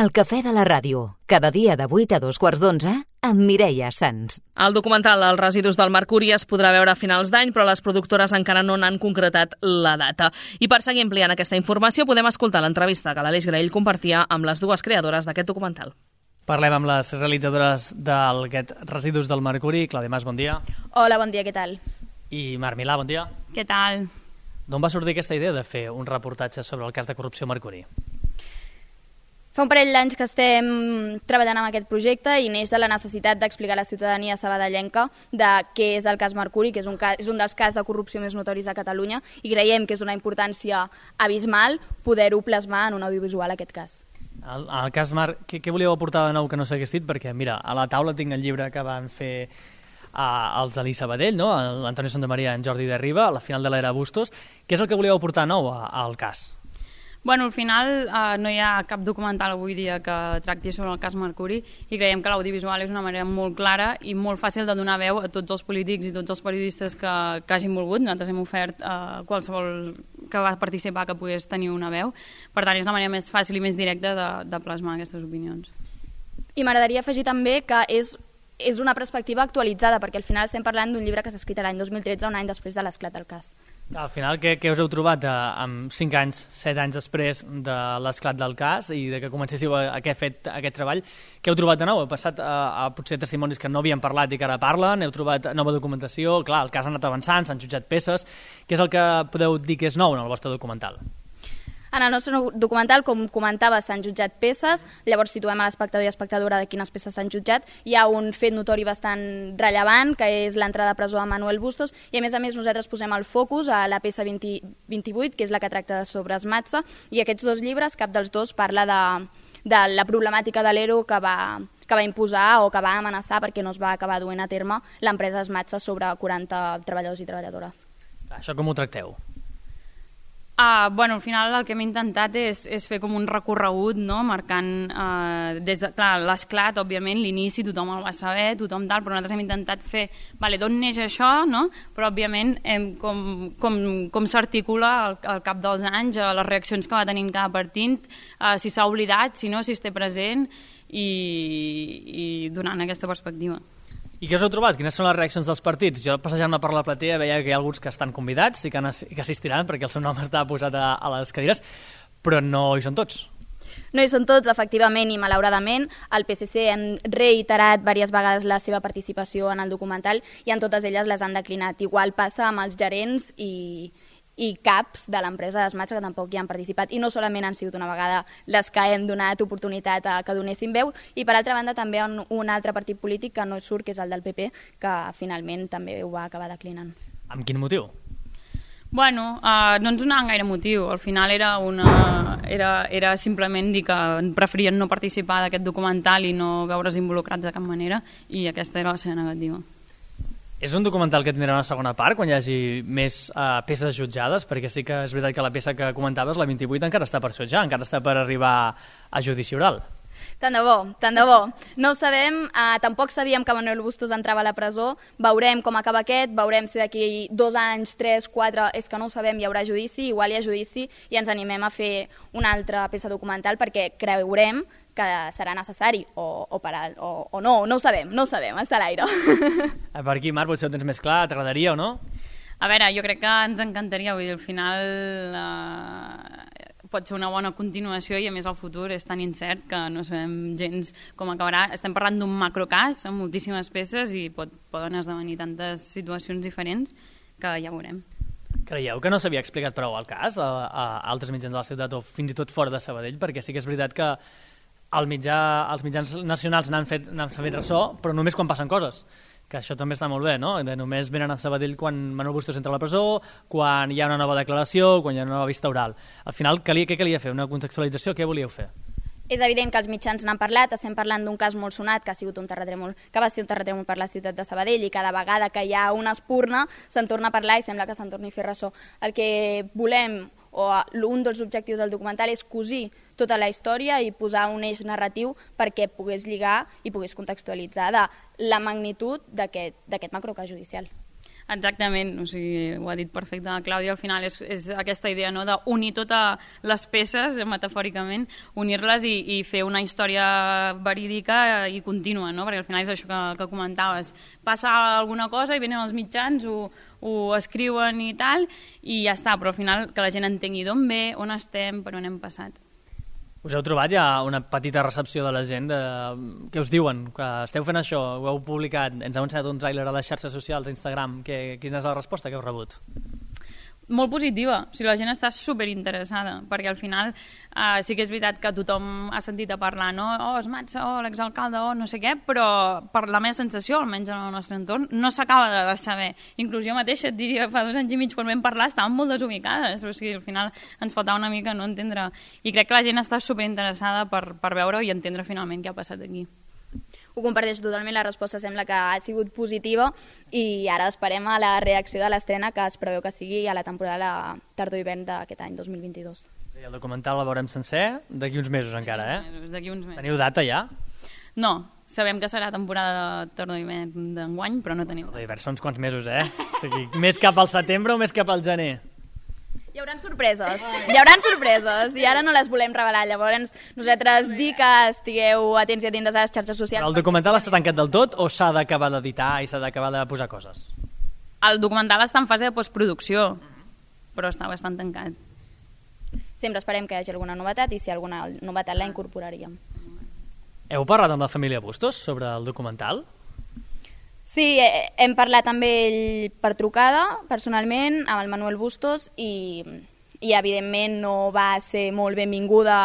El cafè de la ràdio, cada dia de 8 a 2:15 amb Mireia Sans. El documental Els residus del mercuri es podrà veure a finals d'any, però les productores encara no n'han concretat la data. I per seguir ampliant aquesta informació podem escoltar l'entrevista que l'Aleix Graell compartia amb les dues creadores d'aquest documental. Parlem amb les realitzadores d'aquest Residus del Mercuri. Clàudia Mas, bon dia. Hola, bon dia, què tal? I Marc Milà, bon dia. Què tal? D'on va sortir aquesta idea de fer un reportatge sobre el cas de corrupció Mercuri? Fa un parell d'anys que estem treballant en aquest projecte i neix de la necessitat d'explicar a la ciutadania sabadellenca de què és el cas Mercuri, que és un dels casos de corrupció més notoris a Catalunya, i creiem que és una importància abismal poder-ho plasmar en un audiovisual, aquest cas. En el cas Marc, què volíeu aportar de nou que no s'hagués dit? Perquè, mira, a la taula tinc el llibre que van fer els d'Ali Sabadell, no? l'Antonio Santamaria i en Jordi de Riba, a la final de l'era Bustos. Què és el que volíeu aportar nou al cas? Bueno, al final no hi ha cap documental avui dia que tracti sobre el cas Mercuri i creiem que l'audiovisual és una manera molt clara i molt fàcil de donar veu a tots els polítics i tots els periodistes que hagin volgut. Nosaltres hem ofert a qualsevol que va participar que pogués tenir una veu. Per tant, és la manera més fàcil i més directa de plasmar aquestes opinions. I m'agradaria afegir també que és una perspectiva actualitzada, perquè al final estem parlant d'un llibre que s'ha escrit l'any 2013, un any després de l'esclat del cas. Al final, què us heu trobat amb 5 anys, 7 anys després de l'esclat del cas i de que comencéssiu aquest treball? Què heu trobat de nou? Heu passat a potser testimonis que no havien parlat i que ara parlen? Heu trobat nova documentació? Clar, el cas ha anat avançant, s'han jutjat peces. Què és el que podeu dir que és nou en el vostre documental? En el nostre documental, com comentava, s'han jutjat peces, llavors situem a l'espectador i espectadora de quines peces s'han jutjat. Hi ha un fet notori bastant rellevant, que és l'entrada a presó a Manuel Bustos, i a més nosaltres posem el focus a la peça 28, que és la que tracta sobre Esmatsa, i aquests dos llibres, cap dels dos parla de la problemàtica de l'ERO que va imposar o que va amenaçar perquè no es va acabar duent a terme l'empresa Esmatsa sobre 40 treballadors i treballadores. Això com ho tracteu? Bueno, al final el que hem intentat és fer com un recorregut, no? Marcant des de l'esclat, òbviament, l'inici, tothom el va saber, tothom tal, però nosaltres hem intentat fer d'on neix això, no? Però òbviament com s'articula al cap dels anys, les reaccions que va tenint cada partit, si s'ha oblidat, si no, si es té present, i donant aquesta perspectiva. I què us heu trobat? Quines són les reaccions dels partits? Jo, passejant-me per la platea, veia que hi ha alguns que estan convidats i que assistiran perquè el seu nom està posat a les cadires, però no hi són tots. No hi són tots, efectivament, i malauradament. El PSC hem reiterat diverses vegades la seva participació en el documental i en totes elles les han declinat. Igual passa amb els gerents i caps de l'empresa d'Esmatsa que tampoc hi han participat, i no solament han sigut una vegada les que hem donat oportunitat a que donessin veu, i per altra banda també un altre partit polític que no surt, que és el del PP, que finalment també ho va acabar declinant. Amb quin motiu? Bueno, no ens donaven gaire motiu. Al final era simplement dir que preferien no participar d'aquest documental i no veure's involucrats de cap manera, i aquesta era la seva negativa. És un documental que tindrà una segona part quan hi hagi més peces jutjades? Perquè sí que és veritat que la peça que comentaves, la 28, encara està per jutjar, encara està per arribar a judici oral. Tant de bo, tant de bo. No ho sabem, tampoc sabíem que Manuel Bustos entrava a la presó, veurem com acaba aquest, veurem si d'aquí 2 anys, 3, 4, és que no ho sabem, hi haurà judici, igual hi ha judici, i ens animem a fer una altra peça documental perquè creurem que serà necessari o no, no ho sabem, està a l'aire. Per aquí, Marc, potser ho tens més clar, t'agradaria o no? A veure, jo crec que ens encantaria, vull dir, al final pot ser una bona continuació i a més el futur és tan incert que no sabem gens com acabarà. Estem parlant d'un macrocàs amb moltíssimes peces i poden esdevenir tantes situacions diferents que ja veurem. Creieu que no s'havia explicat prou el cas a altres mitjans de la ciutat o fins i tot fora de Sabadell? Perquè sí que és veritat que els mitjans nacionals n'han fet ressò, però només quan passen coses, que això també està molt bé, no? Només venen a Sabadell quan Manuel Bustos entra a la presó, quan hi ha una nova declaració, quan hi ha una nova vista oral. Al final, què calia fer? Una contextualització? Què volíeu fer? És evident que els mitjans n'han parlat, estem parlant d'un cas molt sonat que va ser un terratrèmol per la ciutat de Sabadell, i cada vegada que hi ha una espurna se'n torna a parlar i sembla que se'n torni a fer ressò. El que volem, o un dels objectius del documental, és cosir tota la història i posar un eix narratiu perquè pogués lligar i pogués contextualitzar de la magnitud d'aquest macrocàs judicial. Exactament, o sigui, ho ha dit perfecte la Clàudia, al final és aquesta idea, no?, d'unir totes les peces, metafòricament, unir-les i fer una història verídica i contínua, no?, perquè al final és això que comentaves, passa alguna cosa i venen els mitjans, ho escriuen i tal, i ja està, però al final que la gent entengui d'on ve, on estem, per on hem passat. Us heu trobat ja una petita recepció de la gent? Què us diuen? Que esteu fent això, ho heu publicat, ens heu ensenyat un tràiler a les xarxes socials, a Instagram. Quina és la resposta que heu rebut? Molt positiva, o sigui, la gent està superinteressada, perquè al final sí que és veritat que tothom ha sentit a parlar, no? Es Matza, l'exalcalde, no sé què, però per la meva sensació, almenys en el nostre entorn, no s'acaba de saber. Inclús jo mateixa et diria, fa 2 anys i mig quan vam parlar estàvem molt desubicades, o sigui, al final ens faltava una mica no entendre, i crec que la gent està superinteressada per veure i entendre finalment què ha passat aquí. Ho comparteixo totalment, la resposta sembla que ha sigut positiva i ara esperem a la reacció de l'estrena que es preveu que sigui a la temporada tardor-hivern d'aquest any 2022. Sí, el documental el veurem sencer d'aquí uns mesos encara, D'aquí uns mesos. Teniu data ja? No, sabem que serà temporada de tardor-hivern d'enguany, però no tenim. Tardor-hivern són uns quants mesos, O sigui, més cap al setembre o més cap al gener? Hi haurà sorpreses, i ara no les volem revelar. Llavors, nosaltres dir que estigueu atents i atentes a les xarxes socials. Però el documental està tancat del tot o s'ha d'acabar d'editar i s'ha d'acabar de posar coses? El documental està en fase de postproducció, però està bastant tancat. Sempre esperem que hi hagi alguna novetat i si hi ha alguna novetat la incorporaríem. Heu parlat amb la família Bustos sobre el documental? Sí, hem parlat amb ell per trucada, personalment, amb el Manuel Bustos, i evidentment no va ser molt benvinguda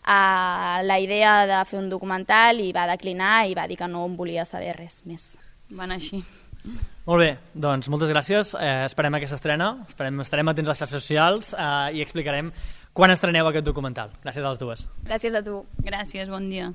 a la idea de fer un documental i va declinar i va dir que no en volia saber res més. Van així. Molt bé, doncs moltes gràcies. Esperem aquesta estrena, estarem atents a les xarxes socials i explicarem quan estreneu aquest documental. Gràcies a les dues. Gràcies a tu. Gràcies, bon dia.